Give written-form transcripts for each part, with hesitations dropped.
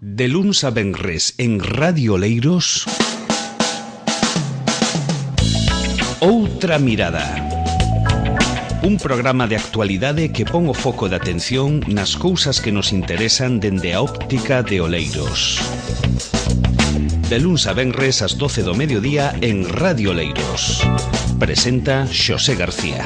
De luns a venres en Radio Oleiros, Outra Mirada. Un programa de actualidade que pon o foco de atención nas cousas que nos interesan dende a óptica de Oleiros. De luns a venres ás 12 do mediodía en Radio Oleiros. Presenta Xosé García.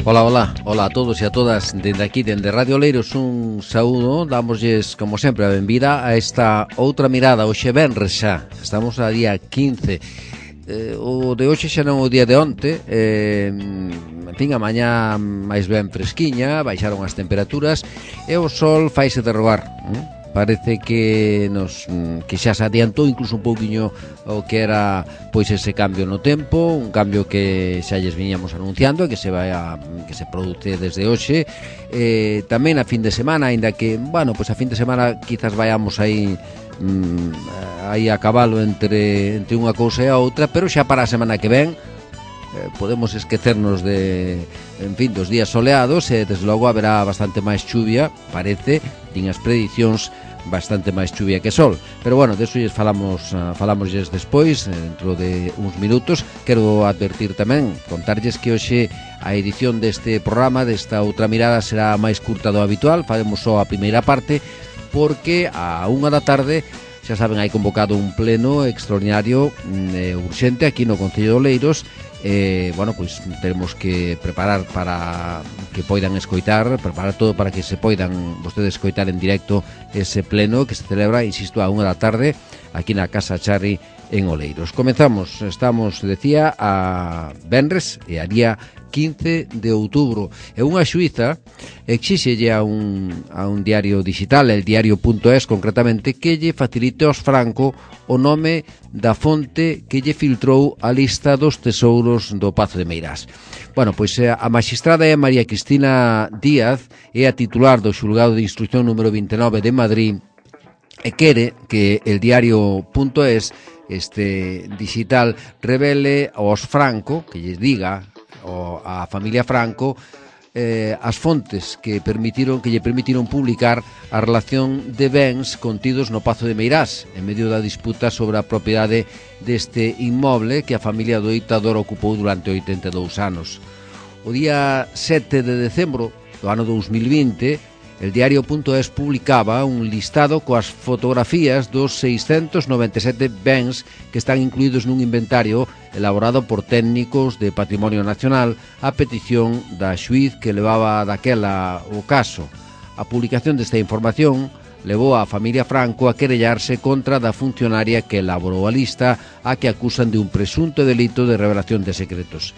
Hola a todos e a todas dende aquí, dende Radio Oleiros, un saúdo. Dámoslles, como sempre, a benvida a esta outra mirada. Hoxe venres xa, estamos a día 15. O de hoxe xa non o día de onte. En fin, a mañá máis ben fresquiña, baixaron as temperaturas e o sol faise de rogar. Parece que xa se adiantou incluso un pouquiño o que era pois ese cambio no tempo, un cambio que xa lles viñamos anunciando e que se produce desde hoxe. Tamén a fin de semana, aínda que, pois a fin de semana quizás vayamos aí a cabalo entre unha cousa e a outra, pero xa para a semana que ven podemos esquecernos dos días soleados e desde logo haberá bastante máis chuvia, parece, din as predicións, bastante máis chuvia que sol. Pero deso lles falámoslles despois, dentro de uns minutos. Quero advertir tamén, contarlles que hoxe a edición deste programa, desta outra mirada, será máis curta do habitual. Faremos só a primeira parte, porque a 1 da tarde, xa saben, hai convocado un pleno extraordinario urxente aquí no Concello de Oleiros. Pois teremos que preparar para que poidan escoitar, preparar todo para que se poidan vostedes escoitar en directo ese pleno que se celebra, insisto, a 1 da tarde aquí na Casa Charri en Oleiros. Comenzamos, estamos, decía, a venres e a día 15 de outubro. E unha xuíza exíxelle a un diario digital, el diario.es concretamente, que lle facilite aos Franco o nome da fonte que lle filtrou a lista dos tesouros do Pazo de Meirás. Pois a magistrada é María Cristina Díaz, é a titular do xulgado de instrucción número 29 de Madrid, e quere que el diario.es, este digital, revele aos Franco, que lles diga a familia Franco, as fontes que lle permitiron publicar a relación de bens contidos no Pazo de Meirás en medio da disputa sobre a propiedade deste inmoble que a familia do ditador ocupou durante 82 anos. O día 7 de decembro do ano 2020, el diario.es publicaba un listado coas fotografías dos 697 bens que están incluídos nun inventario elaborado por técnicos de Patrimonio Nacional a petición da xuíz que levaba daquela o caso. A publicación desta información levou a familia Franco a querellarse contra da funcionaria que elaborou a lista, a que acusan de un presunto delito de revelación de secretos.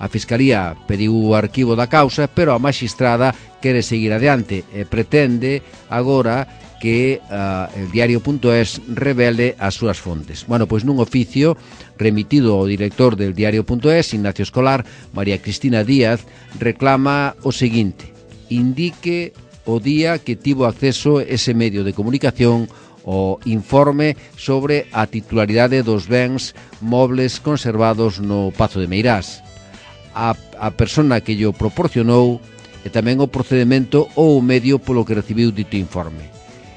A Fiscalía pediu o arquivo da causa, pero a magistrada quere seguir adiante e pretende agora que el diario.es revele as súas fontes. Pois nun oficio remitido ao director del diario.es, Ignacio Escolar, María Cristina Díaz reclama o seguinte: indique o día que tivo acceso ese medio de comunicación o informe sobre a titularidade dos bens mobles conservados no Pazo de Meirás, a persona que llo proporcionou e tamén o procedemento ou o medio polo que recibiu dito informe.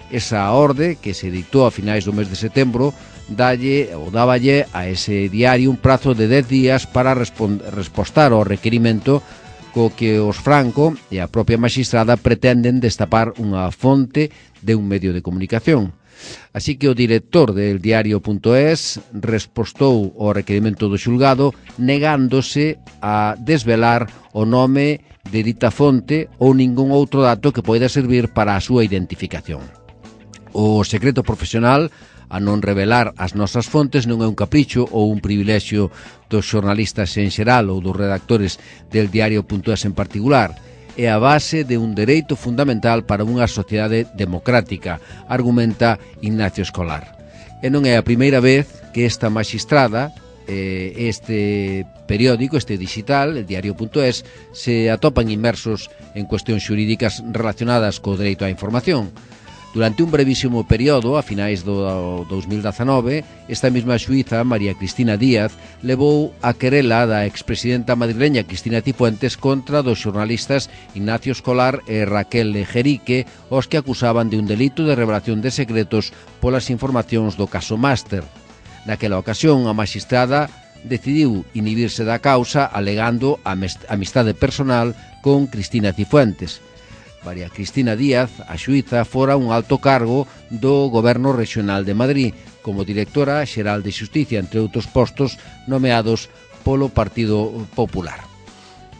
Esa orde, que se dictou a finais do mes de setembro, dáballe a ese diario un prazo de 10 días para respostar ao requerimento co que os Franco e a propia magistrada pretenden destapar unha fonte de un medio de comunicación. Así que o director del diario.es respostou ao requerimento do xulgado negándose a desvelar o nome de dita fonte ou ningún outro dato que poida servir para a súa identificación. O secreto profesional, a non revelar as nosas fontes, non é un capricho ou un privilexio dos xornalistas en xeral ou dos redactores del diario.es en particular. É a base de un dereito fundamental para unha sociedade democrática, argumenta Ignacio Escolar. E non é a primeira vez que esta magistrada, este periódico, este digital, el diario.es, se atopan inmersos en cuestións xurídicas relacionadas co dereito á información. Durante un brevísimo período, a finais do 2019, esta mesma xuíza, María Cristina Díaz, levou a querela da expresidenta madrileña Cristina Cifuentes contra dos xornalistas Ignacio Escolar e Raquel Lejerique, os que acusaban de un delito de revelación de secretos polas informacións do caso Máster. Naquela ocasión, a magistrada decidiu inhibirse da causa alegando amistade personal con Cristina Cifuentes. María Cristina Díaz, a xuíza, fora un alto cargo do Goberno Regional de Madrid como directora xeral de Xusticia, entre outros postos nomeados polo Partido Popular.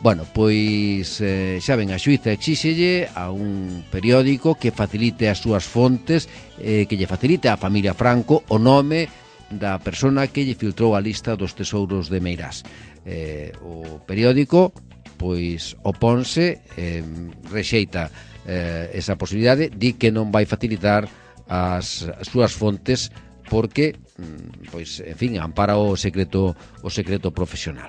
Bueno, pois xa ven, a xuíza exíxelle a un periódico que facilite as súas fontes, que lle facilite á familia Franco o nome da persona que lle filtrou a lista dos tesouros de Meirás. O periódico pois oponse, rexeita esa posibilidade, di que non vai facilitar as súas fontes porque, pois, en fin, ampara o secreto profesional.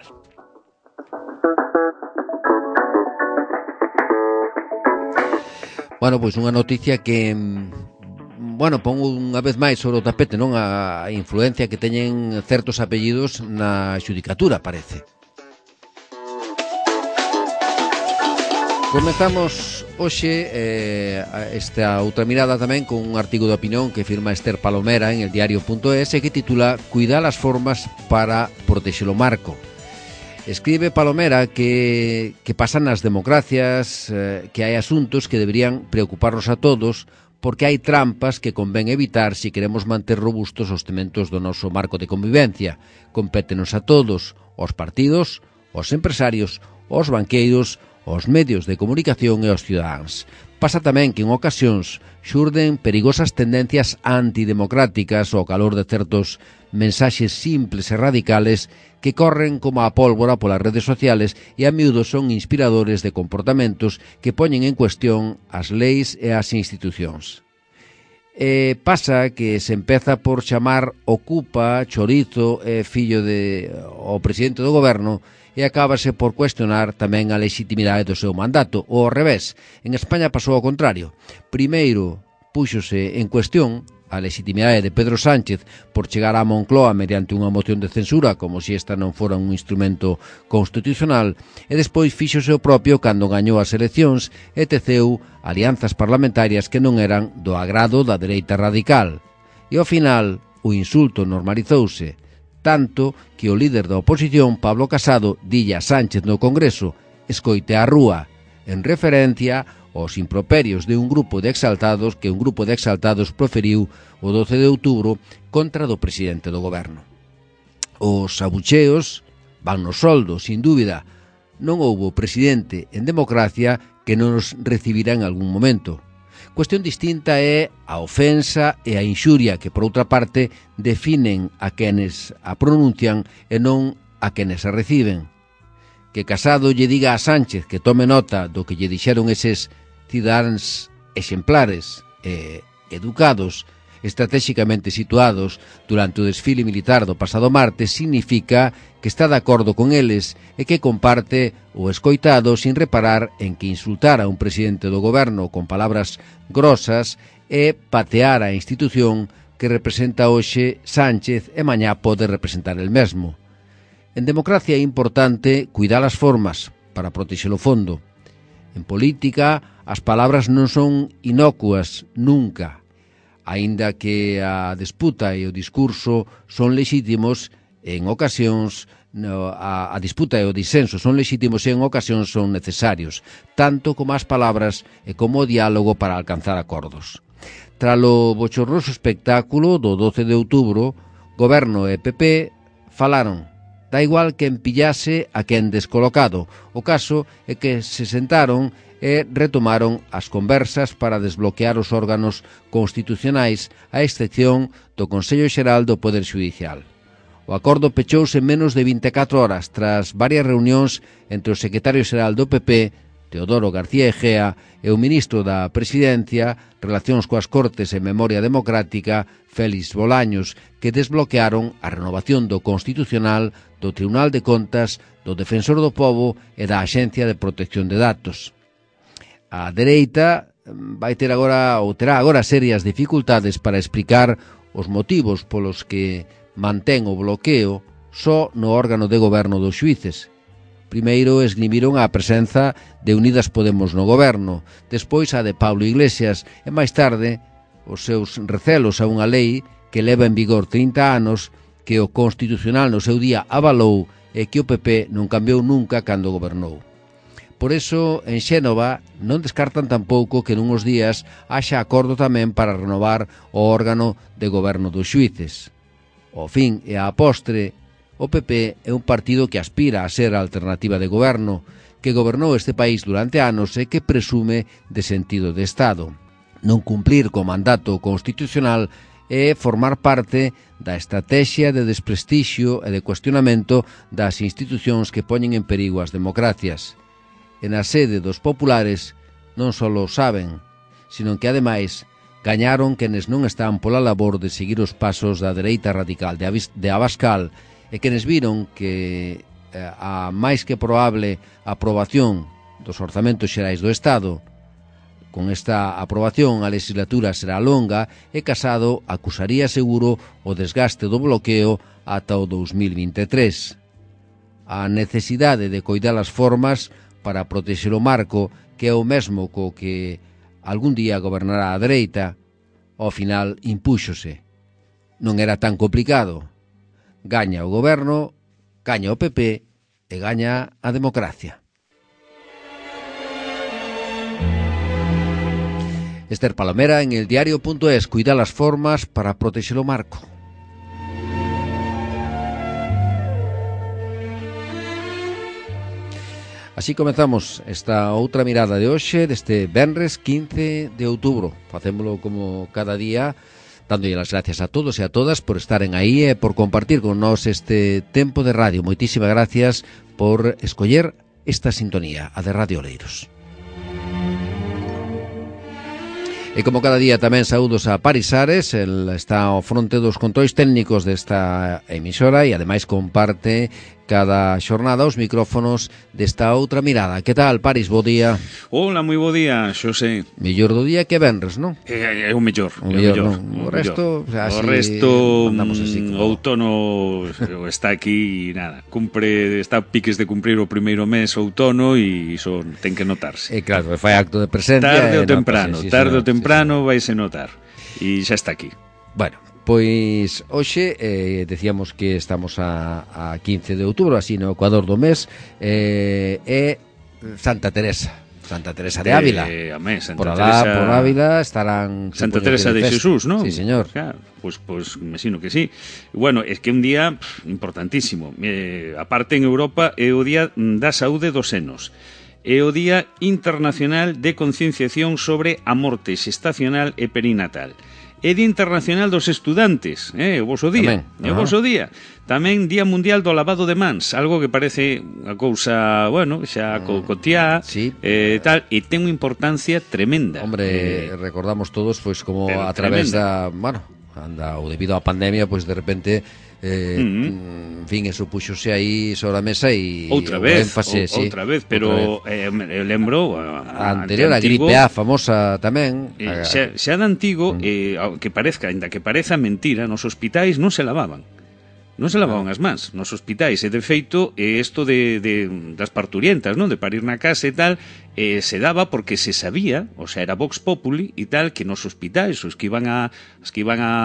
Bueno, pois unha noticia que, bueno, pon unha vez máis sobre o tapete, non, a influencia que teñen certos apellidos na xudicatura, parece. Comezamos hoxe esta outra mirada tamén con un artigo de opinión que firma Esther Palomera en el diario.es que titula "Cuidar as formas para protexer o marco". Escribe Palomera que pasan nas democracias, que hai asuntos que deberían preocuparnos a todos porque hai trampas que convén evitar se queremos manter robustos os cementos do noso marco de convivencia. Compétenos a todos, aos partidos, aos empresarios, aos banqueiros, aos medios de comunicación e aos cidadáns. Pasa tamén que en ocasións xurden perigosas tendencias antidemocráticas ao calor de certos mensaxes simples e radicales que corren como a pólvora polas redes sociales e a miúdo son inspiradores de comportamentos que poñen en cuestión as leis e as institucións. Pasa que se empeza por chamar Ocupa, Chorizo e fillo o presidente do goberno e acábase por cuestionar tamén a legitimidade do seu mandato. Ou ao revés, en España pasou ao contrario. Primeiro púxose en cuestión a legitimidade de Pedro Sánchez por chegar á Moncloa mediante unha moción de censura como se esta non fora un instrumento constitucional e despois fíxose o propio cando gañou as eleccións e teceu alianzas parlamentarias que non eran do agrado da dereita radical. E ao final o insulto normalizouse, tanto que o líder da oposición, Pablo Casado, dille a Sánchez no Congreso: "Escoite a rúa", en referencia aos improperios de un grupo de exaltados que un grupo de exaltados proferiu o 12 de outubro contra do presidente do goberno. Os abucheos van no soldo, sin dúbida. Non houbo presidente en democracia que non os recibirá en algún momento. Cuestión distinta é a ofensa e a inxuria que, por outra parte, definen a quenes a pronuncian e non a quenes a reciben. Que Casado lle diga a Sánchez que tome nota do que lle dixeron eses cidadáns exemplares e educados, estratégicamente situados durante o desfile militar do pasado martes, significa que está de acordo con eles e que comparte o escoitado sin reparar en que insultar a un presidente do goberno con palabras grosas e patear a institución que representa hoxe Sánchez e mañá pode representar el mesmo. En democracia é importante cuidar as formas para protexer o fondo. En política, as palabras non son inocuas nunca. Aínda que a disputa e o discurso son lexítimos, en ocasións a disputa e o disenso son lexítimos e en ocasións son necesarios, tanto como as palabras e como o diálogo para alcanzar acordos. Tralo bochornoso espectáculo do 12 de outubro, Goberno e PP falaron. Da igual que empillase a quen descolocado. O caso é que se sentaron e retomaron as conversas para desbloquear os órganos constitucionais a excepción do Consello Xeral do Poder Xudicial. O acordo pechouse en menos de 24 horas tras varias reunións entre o secretario xeral do PP, Teodoro García Egea, e o ministro da Presidencia, Relacións coas Cortes e Memoria Democrática, Félix Bolaños, que desbloquearon a renovación do Constitucional, do Tribunal de Contas, do Defensor do Pobo e da Axencia de Protección de Datos. A dereita vai ter agora, ou terá agora serias dificultades para explicar os motivos polos que mantén o bloqueo só no órgano de goberno dos xuíces. Primeiro esgrimiron a presenza de Unidas Podemos no goberno, despois a de Pablo Iglesias e máis tarde os seus recelos a unha lei que leva en vigor 30 anos que o Constitucional no seu día avalou e que o PP non cambiou nunca cando gobernou. Por eso, en Xénova non descartan tampouco que nunhos días haxa acordo tamén para renovar o órgano de goberno dos xuíces. Ao fin e á postre, o PP é un partido que aspira a ser a alternativa de goberno, que gobernou este país durante anos e que presume de sentido de Estado. Non cumplir co mandato constitucional é formar parte da estrategia de desprestixio e de cuestionamento das institucións que poñen en perigo as democracias. E na sede dos populares non só o saben, sino que ademais gañaron quenes non están pola labor de seguir os pasos da dereita radical de Abascal e quenes viron que a máis que probable aprobación dos orzamentos xerais do Estado, con esta aprobación a legislatura será longa e Casado acusaría seguro o desgaste do bloqueo ata o 2023. A necesidade de coidar as formas para protexer o marco, que é o mesmo co que algún día gobernará a dereita, ao final impúxose. Non era tan complicado. Gaña o goberno, gaña o PP e gaña a democracia. Esther Palomera en el diario.es, cuida las formas para protexer o marco. Así comezamos esta outra mirada de hoxe, deste venres 15 de outubro. Facémolo como cada día, dándolle as gracias a todos e a todas por estaren aí e por compartir con nós este tempo de radio. Moitísimas gracias por escoller esta sintonía, a de Radio Oleiros. E como cada día tamén saúdos a Paris Ares, el está ao fronte dos controis técnicos desta emisora e ademais comparte cada xornada os micrófonos desta outra mirada. Que tal, Paris? Bo día. Hola, moi bo día, Xosé. Mellor do día que venres, non? É o mellor. O resto, outono está aquí e nada, está piques de cumprir o primeiro mes outono e iso ten que notarse. E claro, fai acto de presencia. Tarde ou temprano vaise notar. E xa está aquí. Bueno, pois hoxe decíamos que estamos a 15 de outubro, así no Ecuador do mes, é Santa Teresa de Ávila. Por Ávila estarán Santa Teresa de Xesús, non? Sí, señor. Claro, pois mesino que sí. Bueno, é que un día importantísimo. Aparte en Europa é o día da saúde dos senos. É o Día Internacional de Concienciación sobre a morte xestacional e perinatal. É Día Internacional dos Estudantes, o voso día. É o voso día. Tamén Día Mundial do Lavado de Mans, algo que parece unha cousa, bueno, xa cotiá, sí, tal, e ten unha importancia tremenda. Hombre, recordamos todos, pois, como a través da, bueno, ou debido á pandemia, pois de repente en fin, eso puxose aí sobre a mesa e outra vez, pero eu lembro a anterior, a gripe A famosa tamén, xa de antigo, que parezca, ainda que pareza mentira, nos hospitais non se lavaban as mans nos hospitais, e de feito isto das parturientas, non, de parir na casa e tal, se daba porque se sabía, o sea, era vox populi e tal, que nos hospitais os que iban a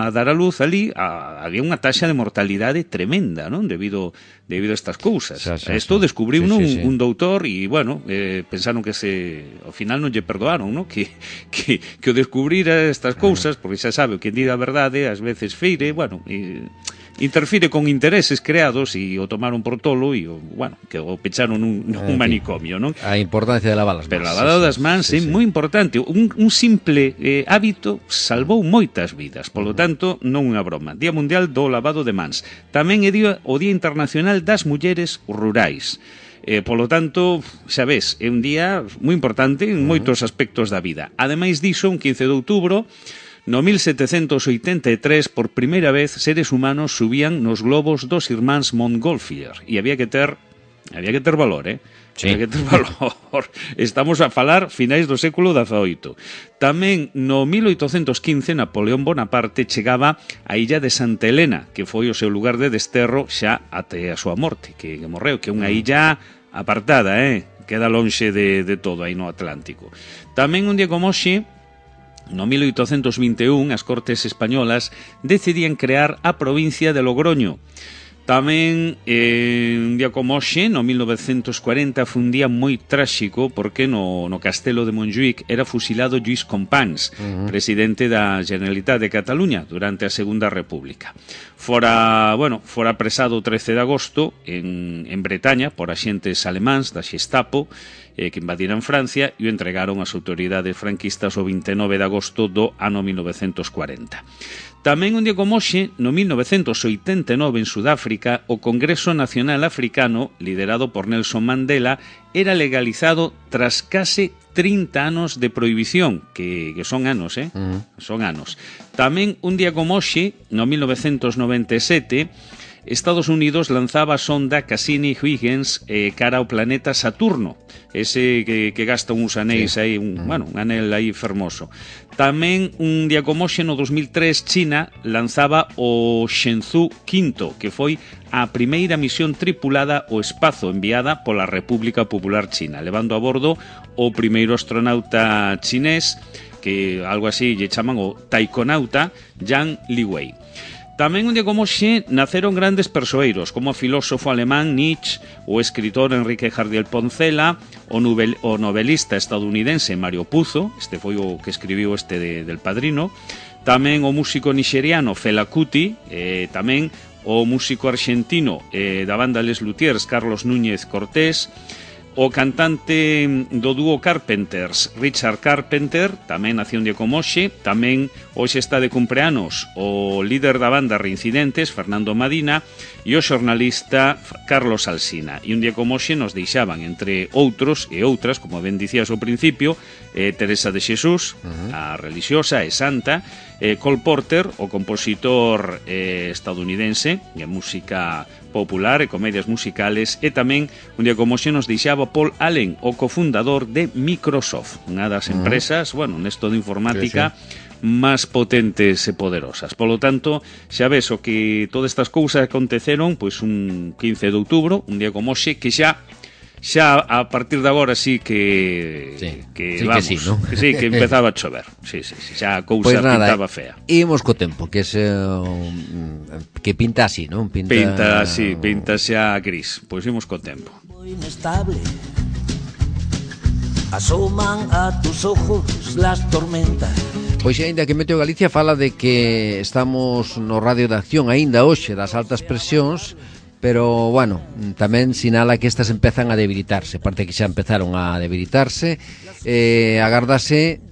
dar a luz ali había unha taxa de mortalidade tremenda, non, debido a estas cousas. Isto descubriu un doutor e, bueno, pensaron que ao final non lle perdoaron, non, que o descubrira estas cousas, porque xa sabe, o que di a verdade ás veces feire, bueno, interfire con intereses creados e o tomaron por tolo e, bueno, que o pecharon nun manicomio, non? A importancia de lavar as mans. Pero a lavado das mans é moi importante. Un simple hábito salvou moitas vidas, polo tanto, non unha broma. Día Mundial do Lavado de Mans. Tamén é o Día Internacional das Mulleres Rurais. Polo tanto, xa ves, é un día moi importante en moitos aspectos da vida. Ademais diso, un 15 de outubro, no 1783, por primeira vez, seres humanos subían nos globos dos irmáns Montgolfier e había que ter Había que ter valor, Sí. Había que ter valor. Estamos a falar finais do século XVIII. Tamén no 1815 Napoleón Bonaparte chegaba á illa de Santa Helena, que foi o seu lugar de desterro xa até a súa morte, que morreu, que é unha illa apartada, queda lonxe de todo aí no Atlántico. Tamén un día como hoxe, no 1821, as Cortes Españolas decidían crear a provincia de Logroño. Tamén, un día como hoxe, no 1940, foi un día moi tráxico porque no castelo de Montjuïc era fusilado Lluís Companys, presidente da Generalitat de Cataluña durante a Segunda República. Fora apresado o 13 de agosto en Bretaña por axentes alemáns da Xestapo que invadiran Francia e o entregaron ás autoridades franquistas o 29 de agosto do ano 1940. Tamén un día como hoxe, no 1989 en Sudáfrica, o Congreso Nacional Africano, liderado por Nelson Mandela, era legalizado tras case 30 anos de prohibición, que son anos, son anos. Tamén un día como hoxe, no 1997, Estados Unidos lanzaba a sonda Cassini-Huygens cara ao planeta Saturno, ese que gasta uns anéis aí, un anel aí fermoso. Tamén un día como hoxe, no 2003, China lanzaba o Shenzhou V, que foi a primeira misión tripulada ao espazo enviada pola República Popular China, levando a bordo o primeiro astronauta chinés, que algo así lle chaman o taikonauta, Yang Liwei. Tamén un día como hoxe naceron grandes persoeiros, como o filósofo alemán Nietzsche, o escritor Enrique Jardiel Poncela, o novelista estadounidense Mario Puzo, este foi o que escribiu del Padrino, tamén o músico nixeriano Fela Kuti, tamén o músico arxentino da banda Les Luthiers Carlos Núñez Cortés, o cantante do dúo Carpenters, Richard Carpenter, tamén nació un día como hoxe. Tamén hoxe está de cumpleanos o líder da banda Reincidentes, Fernando Madina, e o xornalista Carlos Alsina. E un día como hoxe nos deixaban, entre outros e outras, como ben dicías ao principio, Teresa de Xesús, a religiosa e santa, Cole Porter, o compositor estadounidense de música popular e comedias musicales, e tamén un día como hoxe nos deixaba Paul Allen, o cofundador de Microsoft, unha das empresas, nesto de informática, máis potentes e poderosas. Polo tanto, xa ves o que todas estas cousas aconteceron pois un 15 de outubro, un día como hoxe, que xa a partir de agora sí que vamos, que sí, ¿no? que empezaba a chover. Sí, xa a cousa pues pintaba fea. Imos co tempo, que que pinta así, non? Pinta xa gris. Pois imos co tempo. Inestable. Asoman a tus ojos las tormentas. Pois aínda que Meteo Galicia fala de que estamos no radio de acción aínda hoxe das altas presións, pero, tamén sinala que estas empezan a debilitarse. Parte que xa empezaron a debilitarse. Agardase,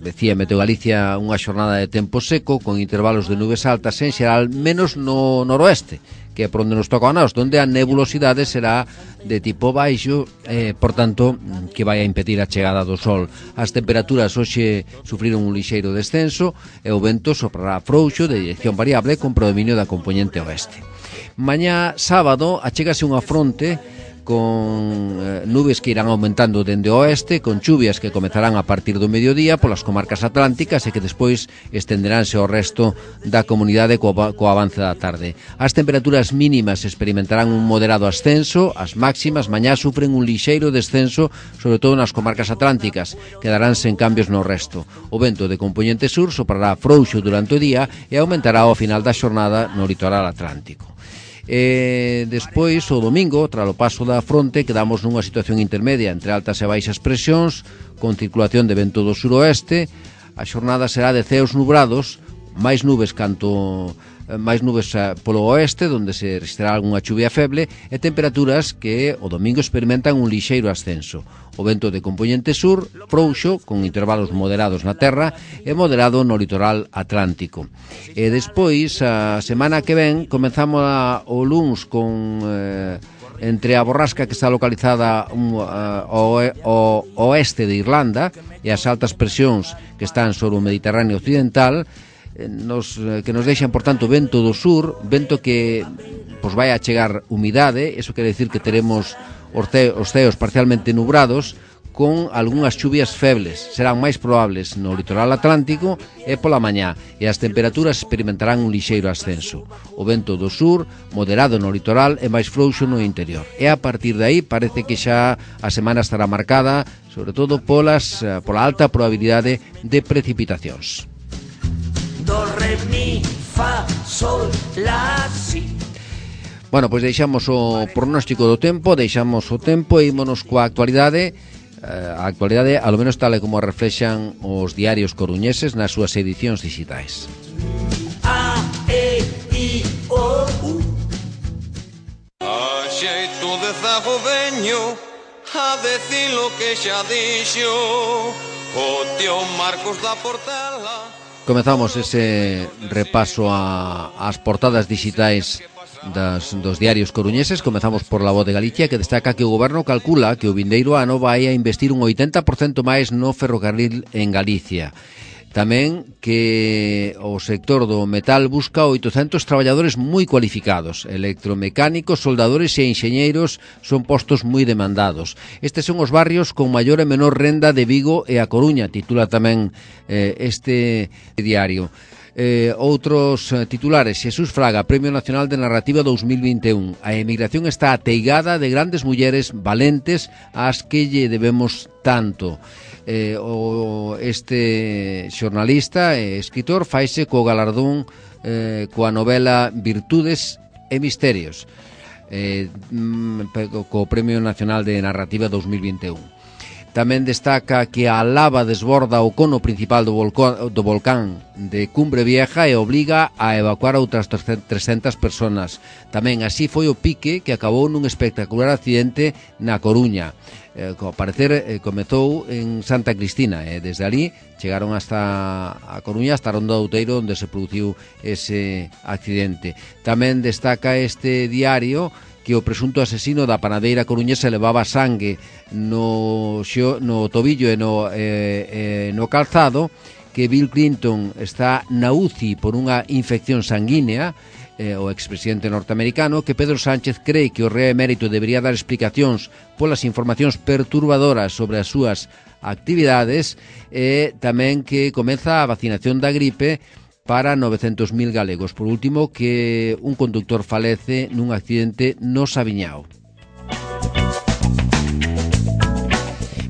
decía Meteo Galicia, unha xornada de tempo seco con intervalos de nubes altas en xeral, menos no noroeste, que é por onde nos toca a nós, donde a nebulosidade será de tipo baixo, por tanto, que vai a impedir a chegada do sol. As temperaturas hoxe sufriron un lixeiro descenso e o vento soprará frouxo de dirección variable con predominio da componente oeste. Mañá sábado achégase unha fronte con nubes que irán aumentando dende o oeste, con chuvias que comezarán a partir do mediodía polas comarcas atlánticas e que despois estenderánse ao resto da comunidade co avance da tarde. As temperaturas mínimas experimentarán un moderado ascenso, as máximas mañá sufren un lixeiro descenso, sobre todo nas comarcas atlánticas, quedarán sen cambios no resto. O vento de componente sur soprará frouxo durante o día e aumentará ao final da xornada no litoral atlántico. Despois, o domingo, tras o paso da fronte, quedamos nunha situación intermedia entre altas e baixas presións, con circulación de vento do suroeste. A xornada será de ceos nubrados, máis nubes polo oeste, onde se registrará algunha chuvia feble, e temperaturas que o domingo experimentan un lixeiro ascenso. O vento de componente sur, frouxo, con intervalos moderados na terra e moderado no litoral atlántico. E despois, a semana que ven, comenzamos o luns con entre a borrasca que está localizada ao oeste de Irlanda e as altas presións que están sobre o Mediterráneo occidental, que nos deixan, por tanto, vento do sur, vento que pois vai a chegar humidade. Eso quere decir que teremos os ceos parcialmente nubrados, con algunhas chuvias febles. Serán máis probables no litoral atlántico e pola mañá, e as temperaturas experimentarán un lixeiro ascenso. O vento do sur, moderado no litoral e máis frouxo no interior. E a partir de aí parece que xa a semana estará marcada, sobre todo pola alta probabilidade de precipitacións. Do, re, mi, fa, sol, la, si. Bueno, pois deixamos o pronóstico do tempo, deixamos o tempo e ímonos coa actualidade. A actualidade, ao menos tal e como reflexan os diarios coruñeses nas súas edicións digitais. A, E, I, O, U. A xeito de zago veño a decir lo que xa dixo o tío Marcos da Portela. Comezamos ese repaso ás portadas digitais dos diarios coruñeses. Comezamos por La Voz de Galicia, que destaca que o goberno calcula que o vindeiro ano vai a investir un 80% máis no ferrocarril en Galicia. Tamén que o sector do metal busca 800 traballadores moi cualificados. Electromecánicos, soldadores e enxeñeiros son postos moi demandados. Estes son os barrios con maior e menor renda de Vigo e a Coruña, titula tamén este diario. Outros titulares: Xesús Fraga, Premio Nacional de Narrativa 2021. A emigración está ateigada de grandes mulleres valentes ás que lle debemos tanto. Este xornalista e escritor faise co galardón coa novela Virtudes e Misterios, co Premio Nacional de Narrativa 2021. Tamén destaca que a lava desborda o cono principal do volcán de Cumbre Vieja e obliga a evacuar a outras 300 personas. Tamén así foi o pique que acabou nun espectacular accidente na Coruña. Ao parecer comezou en Santa Cristina e desde ali chegaron hasta a Coruña, hasta a Ronda do Outeiro, onde se produciu ese accidente. Tamén destaca este diario que o presunto asesino da panadeira coruñesa levaba sangue no tobillo e no calzado, que Bill Clinton está na UCI por unha infección sanguínea, o expresidente norteamericano, que Pedro Sánchez cree que o rei emérito debería dar explicacións polas informacións perturbadoras sobre as súas actividades, e tamén que comeza a vacinación da gripe para 900.000 galegos. Por último, que un conductor falece nun accidente no Sabiñao.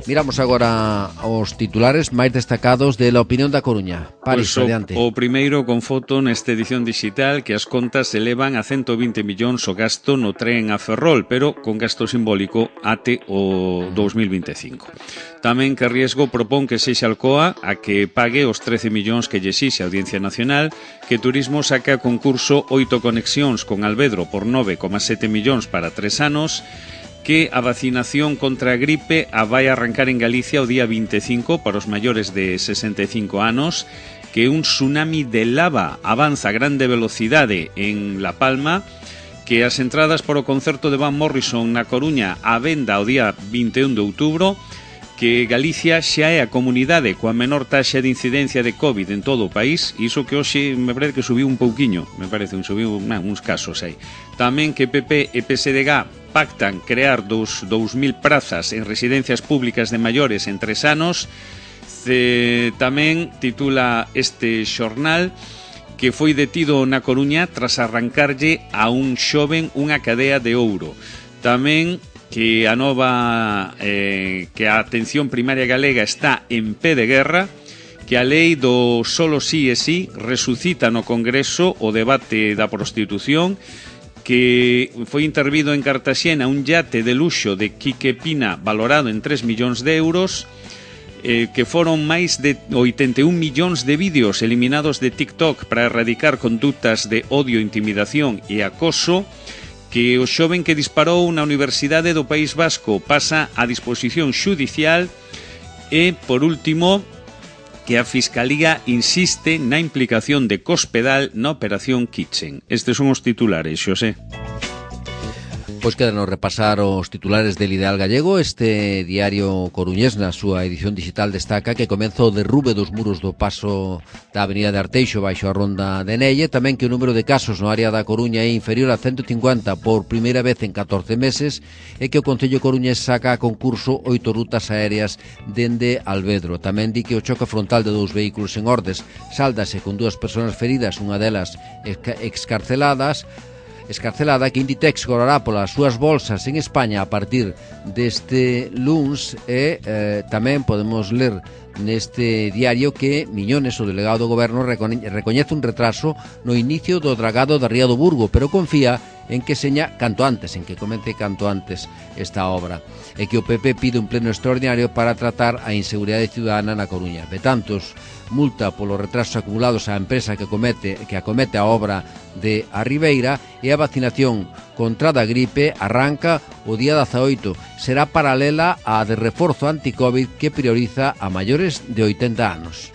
Miramos agora os titulares máis destacados de La Opinión da Coruña. Paris, adiante. O primeiro con foto nesta edición digital, que as contas elevan a 120 millóns o gasto no tren a Ferrol, pero con gasto simbólico até o 2025. Tamén que Riesgo propón que sexa Alcoa a que pague os 13 millóns que lle exixe a Audiencia Nacional, que Turismo saca a concurso 8 conexións con Alvedro por 9,7 millóns para 3 anos, que a vacinación contra a gripe vai arrancar en Galicia o día 25 para os maiores de 65 anos, que un tsunami de lava avanza a grande velocidade en La Palma, que as entradas para o concerto de Van Morrison na Coruña a venda o día 21 de outubro, que Galicia xa é a comunidade coa menor taxa de incidencia de COVID en todo o país, iso que hoxe me parece que subiu un pouquiño, subiu uns casos aí. Tamén que PP e PSDG pactan crear 2.000 prazas en residencias públicas de maiores en 3 anos. Tamén titula este xornal que foi detido na Coruña tras arrancarlle a un xoven unha cadea de ouro. Tamén que a atención primaria galega está en pé de guerra, que a lei do solo sí e sí resucita no Congreso o debate da prostitución, que foi intervido en Cartaxena un yate de luxo de Quique Pina valorado en 3 millóns de euros, que foron máis de 81 millóns de vídeos eliminados de TikTok para erradicar conductas de odio, intimidación e acoso, que o xoven que disparou na Universidade do País Vasco pasa a disposición xudicial, e, por último, que a Fiscalía insiste na implicación de Cospedal na Operación Kitchen. Estes son os titulares, Xosé. Pois quedanos repasar os titulares del Ideal Gallego. Este diario coruñés na súa edición digital destaca que comeza o derrube dos muros do paso da Avenida de Arteixo baixo a Ronda de Nelle, tamén que o número de casos no área da Coruña é inferior a 150 por primeira vez en 14 meses e que o Concello coruñés saca a concurso 8 rutas aéreas dende Alvedro. Tamén di que o choque frontal de dous vehículos en Ordes sáldase con 2 persoas feridas, unha delas escarcelada, que Inditex cobrará polas súas bolsas en España a partir deste luns e tamén podemos ler neste diario que Miñones, o delegado do goberno, recoñece un retraso no inicio do dragado da Ría do Burgo, pero confía en que seña canto antes, en que comece canto antes esta obra, e que o PP pide un pleno extraordinario para tratar a inseguridade ciudadana na Coruña. Betantos multa polos retrasos acumulados á empresa que acomete a obra de A Ribeira, e a vacinación contra da gripe arranca o día 18. Será paralela á de reforzo anti-Covid que prioriza a maiores de 80 anos.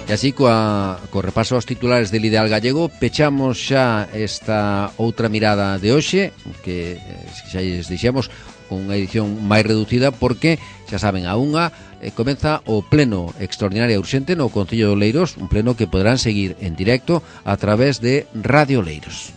E así, co repaso aos titulares del Ideal Gallego, pechamos xa esta outra mirada de hoxe, que xa lles dixemos con unha edición máis reducida, porque, xa saben, a unha comeza o pleno extraordinario urxente no Concello de Oleiros, un pleno que poderán seguir en directo a través de Radio Oleiros.